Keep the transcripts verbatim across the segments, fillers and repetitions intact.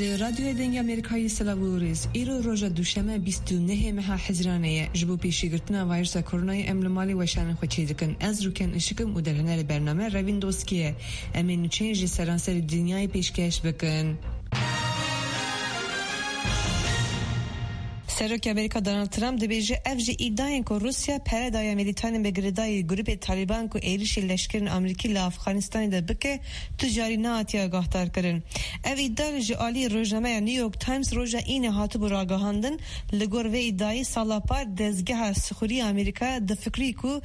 Radyoya Dengê Amerîkayê, silav û rêz. Îro roja duşeme bîst û nehê meha Hezîranê ye. Ji bo pêşîgirtina vayrusa koronayê em li malê weşanên xwe çêdikin. Ez Rûken Işik im û derhênerê bername Revîn Doskî ye. Em ê nûçeyên ji seranserê dinyayê pêşkêş bikin. Serokê Amerîka Donald Trump dibêje, ev ji îdiayên ku Rûsya pere daye milîtanên bi girêdayî grûpê Talîban ku êrişî leşkerên Amerîkî li Afxanistanê de bike, tu carî nehatiye agahdarkirin. Ev îdia ji alî rojnameya New York Times roja Înê hatibû ragihandin. Li gor vê îdiayî, sala par dezgeha sixurî ya Amerîka difikirî ku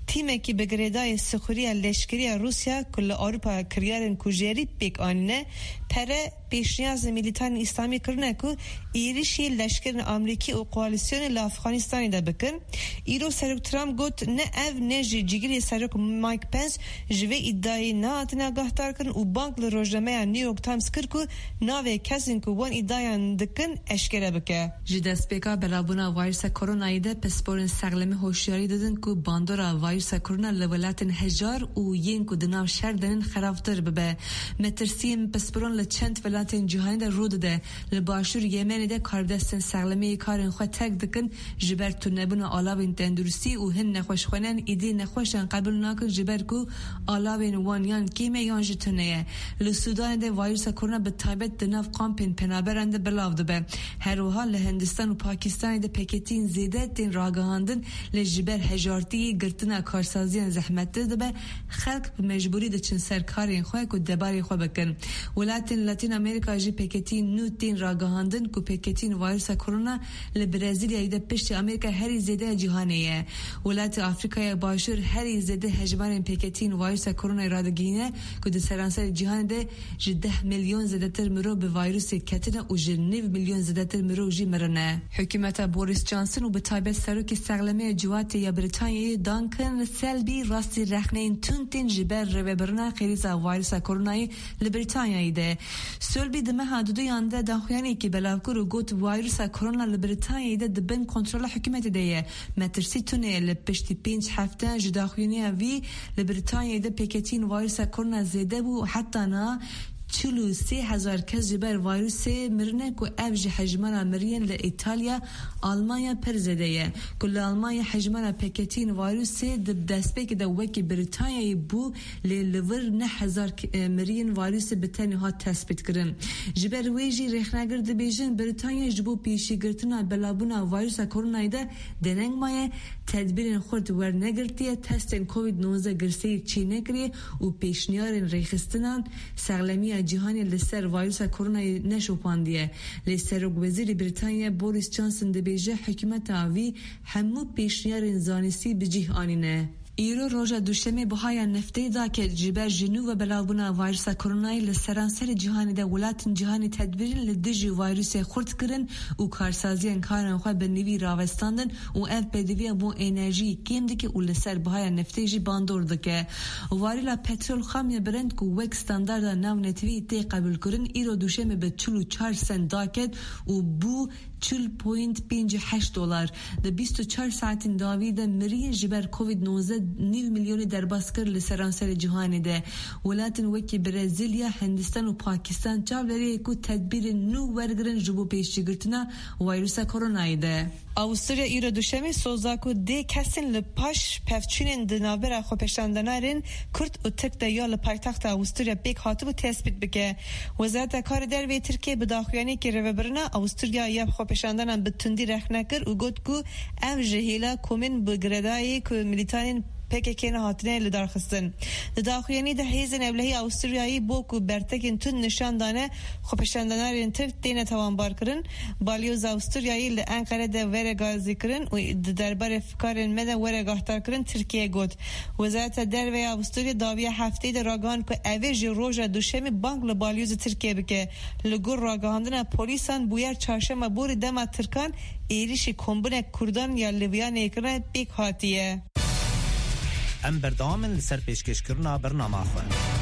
tîmekî bi girêdayî sixurî ya leşkerî ya Rûsya ku li Ewropa kiryarên kujerî pêk anîne, pere pêşniyaz li milîtanên îslamî kirine ku êrişî leşkerên Amerîkî û koalîsyonê li Afxanistanê de bikin. Îro Serok Trump got, ne ev ne jî cîgirê Serok Mike Pence ji vê îdiayê nehatine agahdarkirin û bang li rojnameya New York Times kir ku navê kesên ku wan îdiayan dikin eşkere bike. Ji destpêka belavbûna vayrusa koronayê de pisporên sexlemî hoşyarî didin ku bandora vayrusa korona li welatên hejar û yên ku di nav şer de ne xerabtir bibe. Metirsiyên pisporan li çend welatên cîhanê de rû dide. Li başûr Yemenê de karbidestên sexlemiyê karên xwe terk dikin, ji ber tunebûna alavên tenduristî û hin nexweşxaneyan îdî nexweşan qebûl nakin, ji ber ku alavên wan yan kêm e yan jî tune ye. Li Sûdanê de vayrusa korona bi taybet di nav kampên penaberan de belav dibe. Her wiha li Hindistan û Pakistanê de peketiyên zêde tên ragihandin, lê ji ber hejartiyê girtina karsaziyan zehmettir dibe, xelk bi mecbûrî diçin ser karên xwe ku debarê xwe bikin. Welatên Latîn Amerîka jî peketiyên nû tên ragihandin ku peketiyên vayrusa korona li Brezilyayê de piştî Amerîka herî zêde ya cîhanê ye. Welatê Afrîkaya Başûr herî zêde hejmarên peketiyên vayrusa koronayê radigihîne ku di seranserê cîhanê de ji deh milyon zêdetir mirov bi vayrusê ketine û ji nîv milyon zêdetir mirov jî mirine. Hikûmeta Boris Johnson û bi taybet serokê sexlemê ya civatê ya Brîtanyayê Duncan Selby rastî rexneyên tund tên ji ber rêvebirina krîza vayrusa koronayê li Brîtanyayê de. Selby di meha duduyan de daxuyaniyekî belav kir û got, vayrusa korona li Brîtanyayê de di bin kontrola hikûmetê de ye. Metirsî tune ye, li piştî pênc hefte ji daxuyaniya vî li Brîtanyayê de peketiyên vayrusa korona zêde bû û heta niha çil û sê hezar kes ji ber vayrusê mirine ku ev ji hejmara miriyên li Îtalya, Almanya pir zêde ye. Ku li Almanya hejmara peketiyên vayrusê di destpêkê de wekî Brîtanyayê bû, lê li vir neh hezar k-, e, miriyên vayrusê bi tenê hat tespîtkirin. Ji ber wê jî rêxnegir dibêjin, Brîtanya ji bo pêşîgirtina belavbûna vayrusa koronayê de deneng maye, tedbîrên xurt wernegirtiye, testên Covid nozde girseyî çênekiriye û pêşniyarên rêxistinan sexlemiya cîhanê li ser vayrusa koronayê neşopandiye. Lê Serokwezîrê Brîtanya Boris Johnson dibêje, hikûmeta wî hemû pêşniyarên zanistî bi cih anîne. Îro roja duşemê bihaya neftê daket, ji ber ji nû ve belavbûna vayrusa koronayê li seranserê cîhanê de welatên cîhanê tedbîrên li dijî vayrusê xurt kirin û karsaziyên karên xwe bi nivî ravestandin û ev pêdiviya bo enerjiyê kêm dike û li ser bihaya neftê jî bandor dike. Varîla petrol xam ya bilind ku wek standarda navnetewî tê qebûlkirin, îro duşemê bi çil û çar sent daket û bû çil point pênc heşt dolar. Di bîst û çar saetên dawî de miriyên ji ber Covid nozde nîv milyonê derbas kir li seranserê cîhanê de. Welatên wekî Brezilya, Hindistan û Pakistan çavdêrê ye ku tedbîrên nû wergirin ji bo pêşîgirtina vayrusa koronayê de. Avusturya îro duşemê soza ku dê kesên li paş pevçûnên di navbera xwepêşandanarên Kurd û Tirk de ya li paytexta Avusturya pêk hatibû tespît bike. Wezareta Karê Derve yê Tirkiyê bi daxuyaniyekî rêvebirina Avusturya ya xwepêşandanan bi tundî rexne kir û got ku ev ji hêla komên bi girêdayî ku milîtanên P K K ne hatine lidarxistin. Di daxuyanî de hêzên ewlehî Awisturyayî bo ku bertekên tund nîşan dane xwepêşandanarên Tirk têne tawanbarkirin, balyoza Awisturyayî li Enqere de were gazîkirin û di derbarê fikarên me de were guhdarkirin Tirkiye got. Wezareta Derve ya Avusturya dawiya hefteyê de ragihand ku ev ê ji roja Duşemê bang li balyoza Tirkiye bike. Li gor ragihandina polîsan bûyer çarşema borî dema Tirkan êrişî kombinek Kurdan ya li Viyaneyê kirine pêk hatiye. Em berdewam in li ser pêşkêşkirina bernama xwe.